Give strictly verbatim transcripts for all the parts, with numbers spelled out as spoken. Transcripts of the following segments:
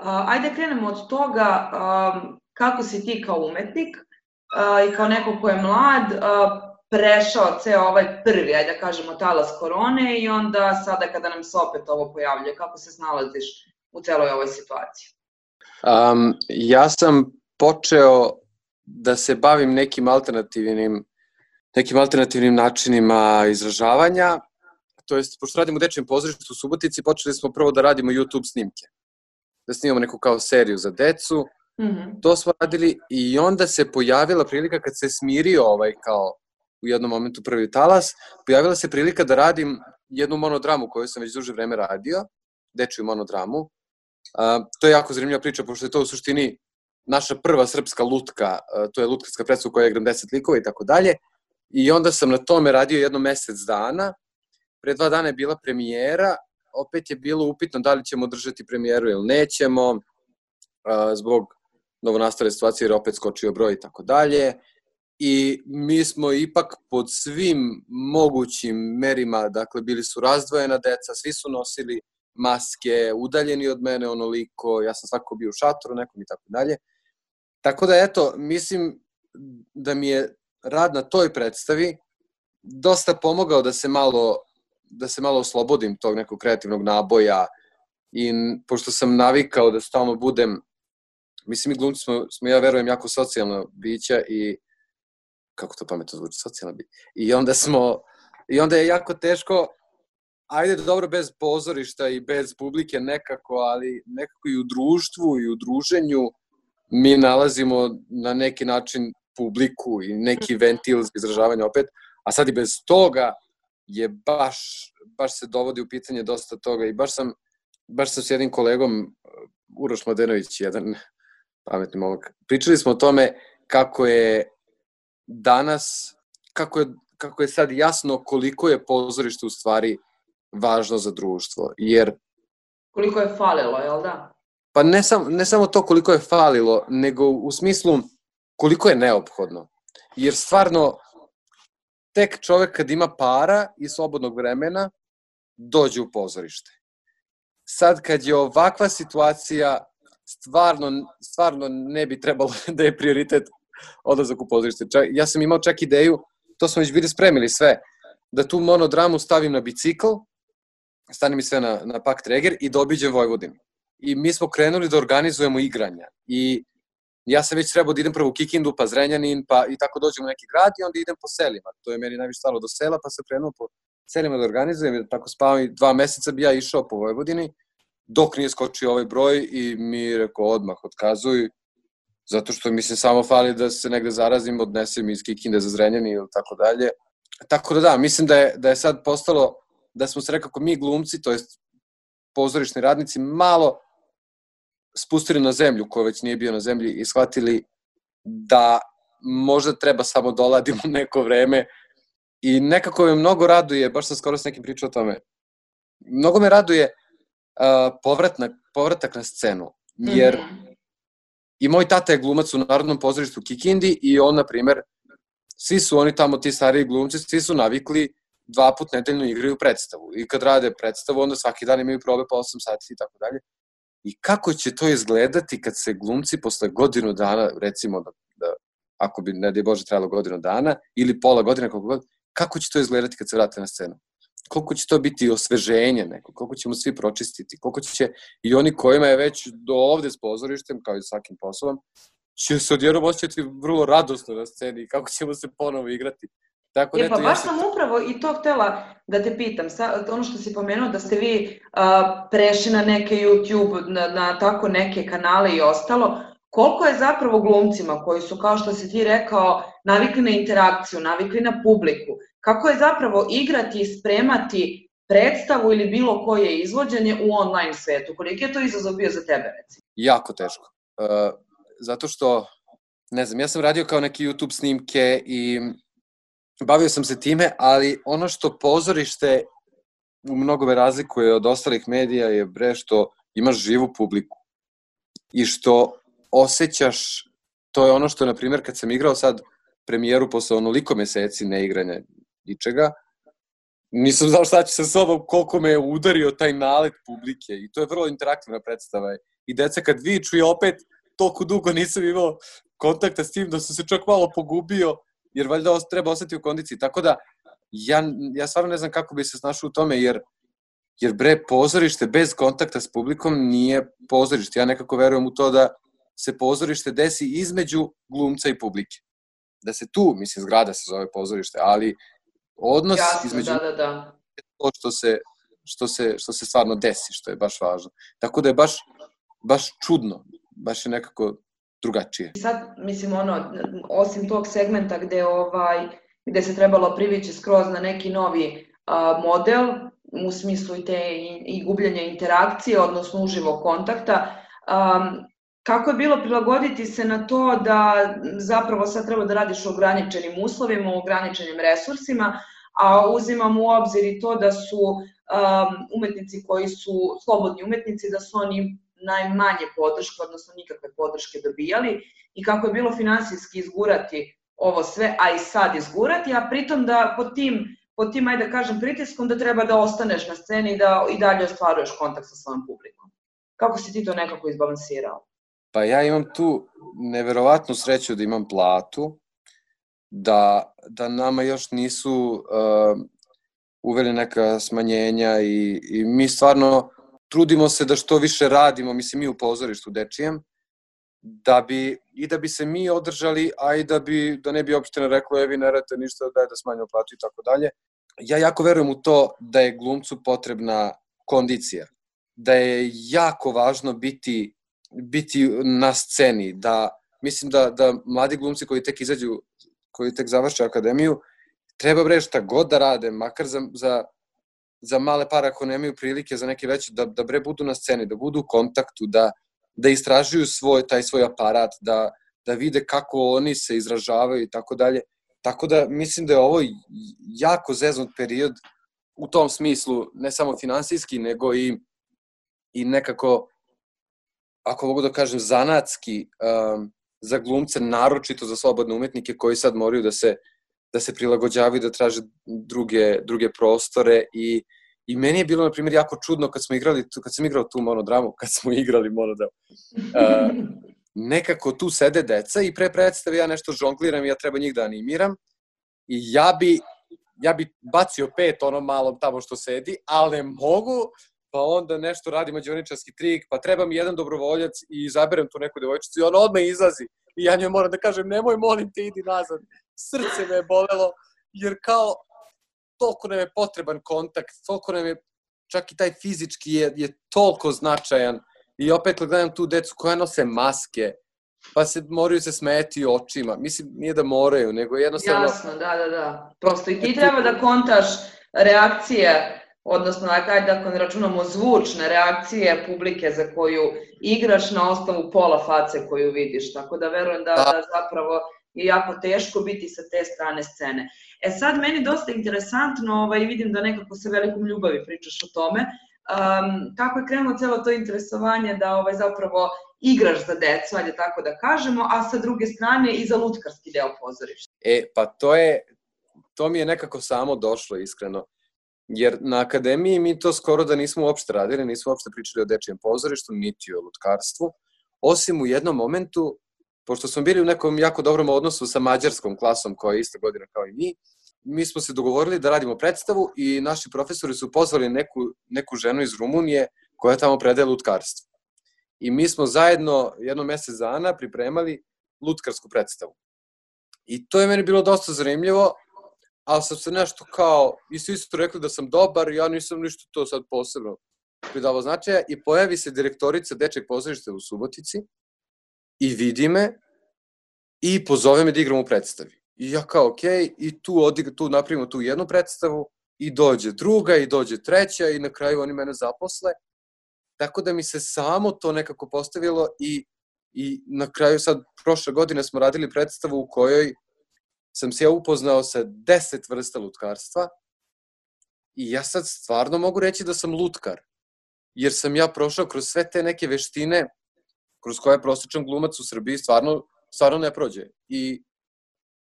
ajde krenemo od toga kako si ti kao umetnik i kao neko ko je mlad prešao ceo ovaj prvi, ajde da kažemo, talas korone i onda sada kada nam se opet ovo pojavljuje, kako se snalaziš u celoj ovoj situaciji? Um, ja sam počeo da se bavim nekim alternativnim, nekim alternativnim načinima izražavanja, to jest, pošto radimo u Dečijem pozorištu u Subotici, počeli smo prvo da radimo YouTube snimke, da snimamo neku kao seriju za decu, mm-hmm. To smo radili i onda se pojavila prilika kad se smirio ovaj kao u jednom momentu prvi talas, pojavila se prilika da radim jednu monodramu koju sam već duže vreme radio, dečiju monodramu. Uh, to je jako zanimljiva priča, pošto je to u suštini naša prva srpska lutka, uh, to je lutkarska predstava u kojoj igram deset likova i tako dalje. I onda sam na tome radio jedno mesec dana. Pre dva dana je bila premijera, opet je bilo upitno da li ćemo držati premijeru ili nećemo, uh, zbog novonastale situacije jer opet skočio broj i tako dalje. I mi smo ipak pod svim mogućim merima, dakle, bili su razdvojena deca, svi su nosili maske, udaljeni od mene onoliko, ja sam svako bio u šatoru nekom i tako dalje. Tako da, eto, mislim da mi je rad na toj predstavi dosta pomogao da se malo, da se malo oslobodim tog nekog kreativnog naboja i pošto sam navikao da stalno budem, mislim i glumci smo, smo ja verujem, jako socijalno bića i kako to pametno zvuči, socijalno bića. I onda smo, i onda je jako teško, ajde dobro bez pozorišta i bez publike nekako, ali nekako i u društvu i u druženju mi nalazimo na neki način publiku i neki ventil za izražavanje opet, a sad i bez toga je baš, baš se dovodi u pitanje dosta toga i baš sam, baš sam s jednim kolegom, Uroš Mladenović, jedan pametni momak, pričali smo o tome kako je danas, kako je, kako je sad jasno koliko je pozorište u stvari važno za društvo, jer... Koliko je falilo, jel da? Pa ne, sam, ne samo to koliko je falilo, nego u smislu koliko je neophodno. Jer stvarno, tek čovek kad ima para i slobodnog vremena, dođe u pozorište. Sad kad je ovakva situacija, stvarno, stvarno ne bi trebalo da je prioritet odlazak u pozorište. Ja sam imao čak ideju, to smo već bili spremili sve, da tu monodramu stavim na bicikl, stanem mi sve na, na pak treger i da obiđem Vojvodinu. I mi smo krenuli da organizujemo igranja. I ja sam već trebao da idem prvo u Kikindu, pa Zrenjanin, pa i tako dođem u neki grad i onda idem po selima. To je meni najviše stalo do sela, pa sam krenuo po selima da organizujem. I tako spavam i dva meseca bi ja išao po Vojvodini, dok nije skočio ovaj broj i mi rekao odmah otkazuj, zato što mislim samo fali da se negde zarazim, odnesem iz Kikinde za Zrenjanin ili tako dalje. Tako da da, mislim da je, da je sad postalo, da smo se rekako mi glumci, to jest pozorišni radnici, malo spustili na zemlju, ko već nije bio na zemlji, i shvatili da možda treba samo doladimo neko vreme i nekako me mnogo raduje, baš sam skoro s nekim pričao o tome, mnogo me raduje uh, povratak, povratak na scenu, jer mm-hmm. i moj tata je glumac u Narodnom pozorištu u Kikindi i on, na primer, svi su oni tamo, ti stariji glumci, svi su navikli dva put nedeljno igraju predstavu. I kad rade predstavu, onda svaki dan imaju probe po osam sati i tako dalje. I kako će to izgledati kad se glumci posle godinu dana, recimo, da, da ako bi, ne daj Bože, trajalo godinu dana, ili pola godine, koliko god, kako će to izgledati kad se vrate na scenu? Koliko će to biti osveženje neko, koliko ćemo svi pročistiti, koliko će i oni kojima je već do ovde s pozorištem, kao i svakim poslom, će se odjednom osjećati vrlo radosno na sceni, kako ćemo se ponovo igrati. Tako e, pa baš sam upravo i to htela da te pitam, sa, ono što si pomenuo da ste vi uh, prešli na neke YouTube, na, na tako neke kanale i ostalo, koliko je zapravo glumcima koji su, kao što si ti rekao, navikli na interakciju, navikli na publiku, kako je zapravo igrati i spremati predstavu ili bilo koje izvođenje u online svetu? Koliko je to izazov bio za tebe, recimo? Jako teško. Uh, zato što, ne znam, ja sam radio kao neke YouTube snimke i bavio sam se time, ali ono što pozorište u mnogome razlikuje od ostalih medija je bre što imaš živu publiku i što osjećaš, to je ono što, na primjer, kad sam igrao sad premijeru posle onoliko meseci neigranja ničega, nisam znao šta će sa sobom, koliko me je udario taj nalet publike i to je vrlo interaktivna predstava. I deca kad viču i opet toliko dugo nisam imao kontakta s tim da sam se čak malo pogubio, jer valjda treba ostati u kondiciji. Tako da, ja, ja stvarno ne znam kako bi se snašao u tome, jer, jer bre, pozorište bez kontakta s publikom nije pozorište. Ja nekako verujem u to da se pozorište desi između glumca i publike. Da se tu, mislim, zgrada se zove pozorište, ali odnos Jasno, između da, da, da. to što se, što, se, što se stvarno desi, što je baš važno. Tako da je baš, baš čudno, baš je nekako drugačije. Sad, mislim, ono, osim tog segmenta gde, ovaj, gde se trebalo privići skroz na neki novi a, model, u smislu i te i, i gubljenja interakcije, odnosno uživo kontakta, a, kako je bilo prilagoditi se na to da zapravo sad treba da radiš u ograničenim uslovima, u ograničenim resursima, a uzimam u obzir i to da su um, umetnici koji su slobodni umetnici, da su oni najmanje podrške, odnosno nikakve podrške dobijali i kako je bilo finansijski izgurati ovo sve, a i sad izgurati, a pritom da pod tim, pod tim, ajde da kažem, pritiskom da treba da ostaneš na sceni i da i dalje ostvaruješ kontakt sa svojom publikom. Kako si ti to nekako izbalansirao? Pa ja imam tu neverovatnu sreću da imam platu, da, da nama još nisu uh, uveli neka smanjenja i, i mi stvarno trudimo se da što više radimo, mislim mi u pozorištu dečijem, da bi, i da bi se mi održali, a i da, bi, da ne bi opština rekla, evi ne radite ništa, daj da smanjimo platu i tako dalje. Ja jako verujem u to da je glumcu potrebna kondicija, da je jako važno biti biti na sceni, da mislim da, da mladi glumci koji tek izađu, koji tek završe akademiju, treba bre šta god da rade, makar za, za, za male pare ako nemaju prilike za neke veće, da, da bre budu na sceni, da budu u kontaktu, da, da istražuju svoj, taj svoj aparat, da, da vide kako oni se izražavaju i tako dalje. Tako da mislim da je ovo jako zeznut period u tom smislu, ne samo finansijski, nego i, i nekako ako mogu da kažem, zanatski um, za glumce, naročito za slobodne umetnike koji sad moraju da se, da se prilagođavaju, da traže druge, druge prostore i, i meni je bilo, na primjer, jako čudno kad smo igrali, kad sam igrao tu monodramu, kad smo igrali monodramu, uh, nekako tu sede deca i pre predstave ja nešto žongliram i ja treba njih da animiram i ja bi, ja bi bacio pet onom malom tamo što sedi, ali ne mogu, pa onda nešto radi mađioničarski trik, pa treba mi jedan dobrovoljac i izaberem tu neku devojčicu i ona odmah izlazi. I ja njoj moram da kažem, nemoj, molim te, idi nazad. Srce me je bolelo, jer kao toliko nam je potreban kontakt, toliko nam je, čak i taj fizički je, je toliko značajan. I opet gledam tu decu koja nose maske, pa se moraju se smeti očima. Mislim, nije da moraju, nego jednostavno... Jasno, da, da, da. Prosto i ti treba da kontaš reakcije, odnosno, ajde ako ne računamo zvučne reakcije publike za koju igraš na osnovu pola face koju vidiš, tako da verujem da, da zapravo je jako teško biti sa te strane scene. E sad, meni dosta interesantno, ovaj, vidim da nekako sa velikom ljubavi pričaš o tome, um, kako je krenulo celo to interesovanje da ovaj, zapravo igraš za decu, ajde tako da kažemo, a sa druge strane i za lutkarski deo pozorišta. E, pa to je, to mi je nekako samo došlo, iskreno. Jer na akademiji mi to skoro da nismo uopšte radili, nismo uopšte pričali o dečijem pozorištu, niti o lutkarstvu, osim u jednom momentu, pošto smo bili u nekom jako dobrom odnosu sa mađarskom klasom koja je ista godina kao i mi, mi smo se dogovorili da radimo predstavu i naši profesori su pozvali neku, neku ženu iz Rumunije koja tamo predaje lutkarstvo. I mi smo zajedno jedno mesec dana pripremali lutkarsku predstavu. I to je meni bilo dosta zanimljivo, ali sam se nešto kao, i svi su rekli da sam dobar, ja nisam ništa to sad posebno pridavao značaja i pojavi se direktorica Dečijeg pozorišta u Subotici i vidi me i pozove me da igram u predstavi. I ja kao, okej, okay, i tu, odig, tu napravimo tu jednu predstavu i dođe druga i dođe treća i na kraju oni mene zaposle. Tako da mi se samo to nekako postavilo i, i na kraju sad, prošle godine smo radili predstavu u kojoj sam se ja upoznao sa deset vrsta lutkarstva i ja sad stvarno mogu reći da sam lutkar, jer sam ja prošao kroz sve te neke veštine kroz koje prosječan glumac u Srbiji stvarno, stvarno ne prođe. I,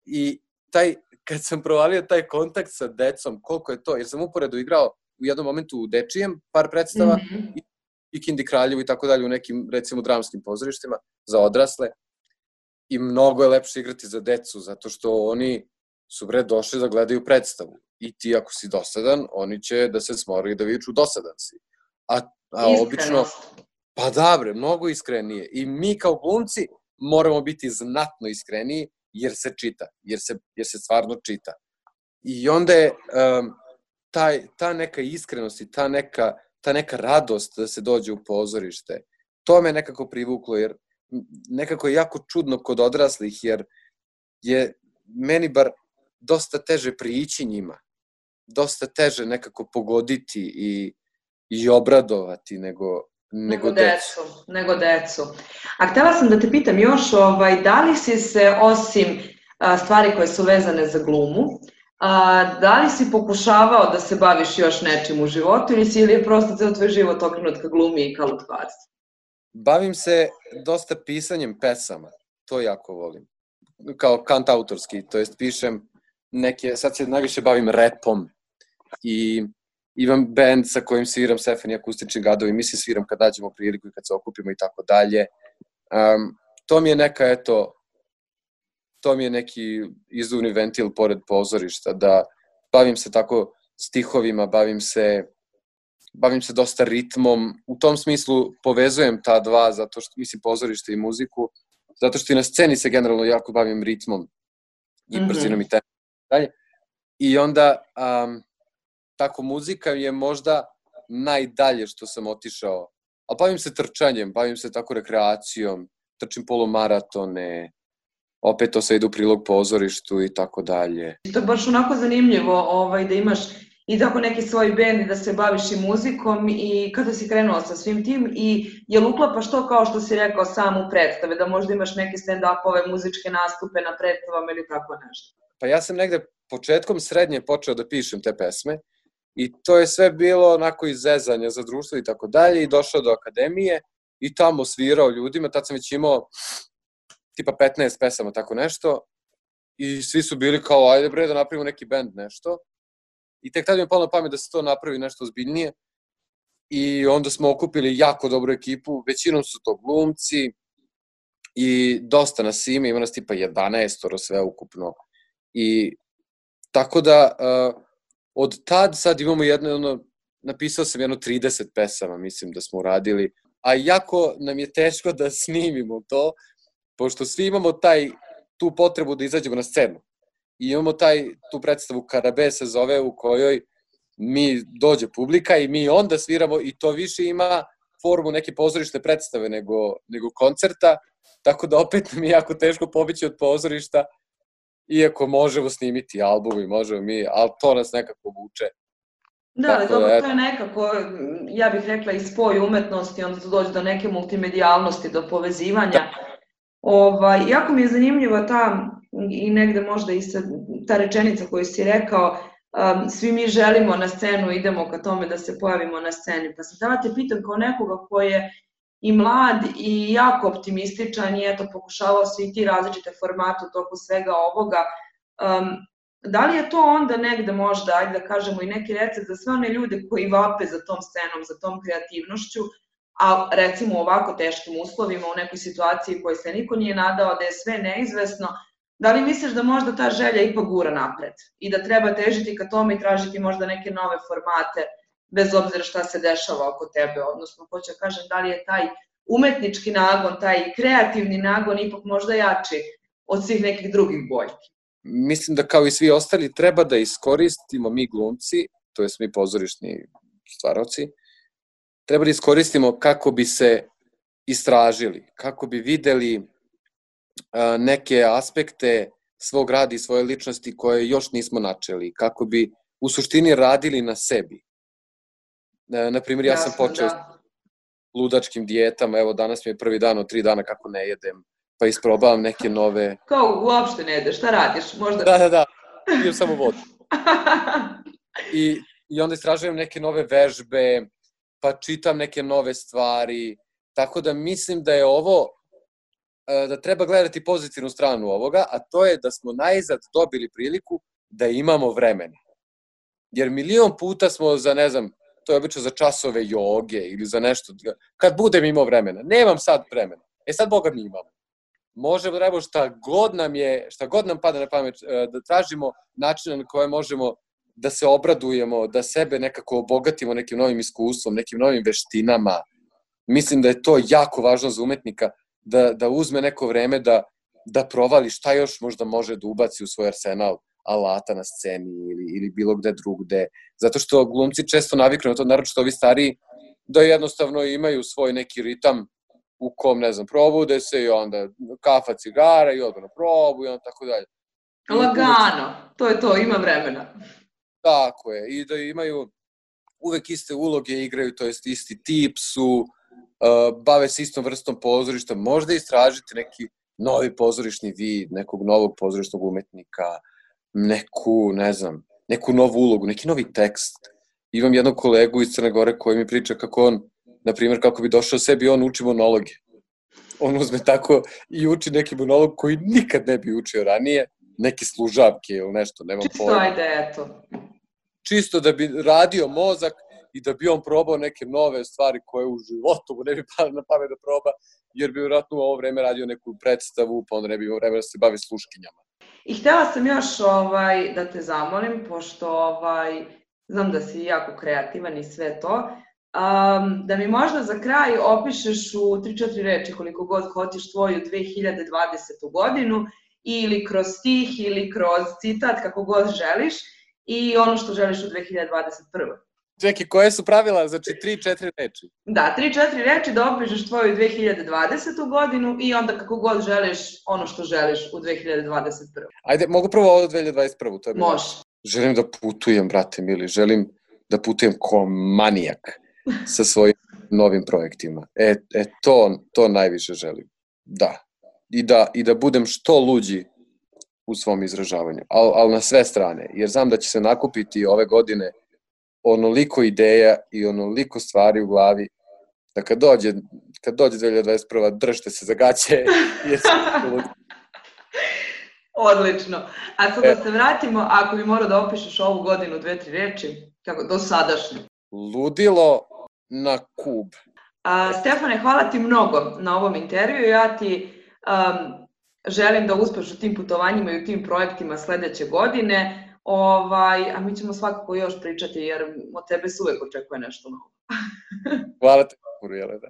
i taj, kad sam provalio taj kontakt sa decom, koliko je to, jer sam uporedo igrao u jednom momentu u dečijem par predstava mm-hmm. i, i Kindi Kraljevu i tako dalje u nekim, recimo, dramskim pozorištima za odrasle. I mnogo je lepše igrati za decu, zato što oni su bre došli da gledaju predstavu. I ti ako si dosadan, oni će da se smore i da viču dosadan si. A, a obično... Pa da bre, mnogo iskrenije. I mi kao glumci moramo biti znatno iskreniji jer se čita, jer se, jer se stvarno čita. I onda je um, taj, ta neka iskrenost i ta neka, ta neka radost da se dođe u pozorište, to me nekako privuklo, jer nekako je jako čudno kod odraslih, jer je meni bar dosta teže prići njima, dosta teže nekako pogoditi i, i obradovati nego, nego, nego decu. decu. Nego decu. A htela sam da te pitam još, ovaj, da li si se, osim a, stvari koje su vezane za glumu, a, da li si pokušavao da se baviš još nečim u životu ili si ili je prosto ceo tvoj život okrenut ka glumi i ka lutkarstvu? Bavim se dosta pisanjem pesama, to jako volim. Kao kantautorski, to jest pišem neke, sad se najviše bavim repom i imam band sa kojim sviram Stefani akustični gadovi, mislim sviram kad dađemo priliku i kad se okupimo i tako dalje. Um, to mi je neka, eto, to mi je neki izduvni ventil pored pozorišta, da bavim se tako stihovima, bavim se bavim se dosta ritmom, u tom smislu povezujem ta dva, zato što mislim pozorište i muziku, zato što i na sceni se generalno jako bavim ritmom i brzinom mm-hmm. i tempom dalje. I onda um, tako muzika je možda najdalje što sam otišao, ali bavim se trčanjem, bavim se tako rekreacijom, trčim polumaratone, opet to sve ide u prilog pozorištu i tako dalje. To je baš onako zanimljivo ovaj, da imaš i tako neki svoj bend i da se baviš i muzikom i kada si krenuo sa svim tim i je li uklapaš to kao što si rekao sam u predstave, da možda imaš neke stand-upove, muzičke nastupe na predstavama ili tako nešto? Pa ja sam negde početkom srednje počeo da pišem te pesme i to je sve bilo onako iz zezanja za društvo i tako dalje i došao do akademije i tamo svirao ljudima, tad sam već imao tipa petnaest pesama, tako nešto i svi su bili kao ajde bre da napravimo neki bend nešto. I tek tada mi je palo na pamet da se to napravi nešto ozbiljnije i onda smo okupili jako dobru ekipu, većinom su to glumci i dosta nas ima, ima nas tipa jedanaestoro sve ukupno. I tako da uh, od tad sad imamo jedno, ono, napisao sam jedno trideset pesama, mislim da smo uradili, a jako nam je teško da snimimo to, pošto svi imamo taj, tu potrebu da izađemo na scenu. I imamo taj, tu predstavu Karabe se zove, u kojoj mi dođe publika i mi onda sviramo i to više ima formu neke pozorišne predstave nego, nego koncerta, tako da opet nam je jako teško pobići od pozorišta, iako možemo snimiti album i možemo mi, ali to nas nekako vuče. Da, ali dobro, to je nekako, ja bih rekla, i spoj umetnosti, onda to dođe do neke multimedijalnosti, do povezivanja. Da. Ovaj, jako mi je zanimljiva ta, i negde možda i sa, ta rečenica koju si rekao, um, svi mi želimo na scenu, idemo ka tome da se pojavimo na sceni. Pa sam tada te pitam kao nekoga koji je i mlad i jako optimističan i eto pokušavao se i ti različite formate u toku svega ovoga, um, da li je to onda negde možda, ajde da kažemo i neki recept za sve one ljude koji vape za tom scenom, za tom kreativnošću, a recimo u ovako teškim uslovima, u nekoj situaciji u kojoj se niko nije nadao, da je sve neizvesno, da li misliš da možda ta želja ipak gura napred i da treba težiti ka tome i tražiti možda neke nove formate, bez obzira šta se dešava oko tebe, odnosno hoću da kažem da li je taj umetnički nagon, taj kreativni nagon ipak možda jači od svih nekih drugih boljki? Mislim da kao i svi ostali treba da iskoristimo mi glumci, to jest mi pozorišni stvaroci, treba da iskoristimo kako bi se istražili, kako bi videli neke aspekte svog rada i svoje ličnosti koje još nismo načeli, kako bi u suštini radili na sebi. Naprimjer, ja sam počeo s ludačkim dijetama, evo danas mi je prvi dan od tri dana kako ne jedem, pa isprobavam neke nove... Kao uopšte ne jedeš, šta radiš? Možda... Da, da, da, pijem samo vodu. I, I onda istražujem neke nove vežbe, pa čitam neke nove stvari, tako da mislim da je ovo, da treba gledati pozitivnu stranu ovoga, a to je da smo najzad dobili priliku da imamo vremena. Jer milion puta smo za, ne znam, to je obično za časove joge ili za nešto, kad budem imao vremena. Nemam sad vremena. E sad Boga mi imamo. Možemo da radimo šta god nam je, šta god nam pada na pamet, da tražimo načine na koje možemo da se obradujemo, da sebe nekako obogatimo nekim novim iskustvom, nekim novim veštinama. Mislim da je to jako važno za umetnika, da, da uzme neko vreme da, da provali šta još možda može da ubaci u svoj arsenal alata na sceni ili, ili bilo gde drugde. Zato što glumci često naviknu na to, naročito ovi stariji, da jednostavno imaju svoj neki ritam u kom, ne znam, probude se i onda kafa, cigara i odmah na probu i onda tako dalje. Lagano, to je to, ima vremena. Tako je, i da imaju uvek iste uloge, igraju, to jest isti tip su, uh, bave se istom vrstom pozorišta, možda istražite neki novi pozorišni vid, nekog novog pozorišnog umetnika, neku, ne znam, neku novu ulogu, neki novi tekst. Imam jednog kolegu iz Crne Gore koji mi priča kako on, na primjer, kako bi došao sebi, on uči monologe. On uzme tako i uči neki monolog koji nikad ne bi učio ranije, neke služavke ili nešto, nemam Čisto pojma. ajde, eto. Čisto da bi radio mozak i da bi on probao neke nove stvari koje u životu mu ne bi palo na pamet da proba, jer bi vjerojatno u ovo vreme radio neku predstavu, pa onda ne bi imao vreme da se bavi sluškinjama. I htjela sam još ovaj, da te zamolim, pošto ovaj, znam da si jako kreativan i sve to, um, da mi možda za kraj opišeš u tri četiri reči koliko god hoćeš tvoju dve hiljade dvadesetu godinu, ili kroz stih, ili kroz citat, kako god želiš, i ono što želiš u dve hiljade dvadeset prvoj. Čekaj, koje su pravila? Znači, tri četiri reči. Da, tri četiri reči da opišeš tvoju dve hiljade dvadesetu godinu i onda kako god želiš ono što želiš u dve hiljade dvadeset prvoj. Ajde, mogu prvo ovo dve hiljade dvadeset prvu. To je Može. Želim da putujem, brate mili, želim da putujem ko manijak sa svojim novim projektima. E, e to, to najviše želim. Da. I da, i da budem što luđi u svom izražavanju, ali al na sve strane, jer znam da će se nakupiti ove godine onoliko ideja i onoliko stvari u glavi, da kad dođe, kad dođe dve hiljade dvadeset prva držite se za gaće. Jer Odlično. A sad da se vratimo, ako bi morao da opišeš ovu godinu dve, tri reči, kako, do sadašnje. Ludilo na kub. A, Stefane, hvala ti mnogo na ovom intervju. Ja ti um, želim da uspeš u tim putovanjima i u tim projektima sledeće godine. Ovaj, a mi ćemo svakako još pričati, jer od tebe se uvek očekuje nešto novo. Hvala te, Jelena.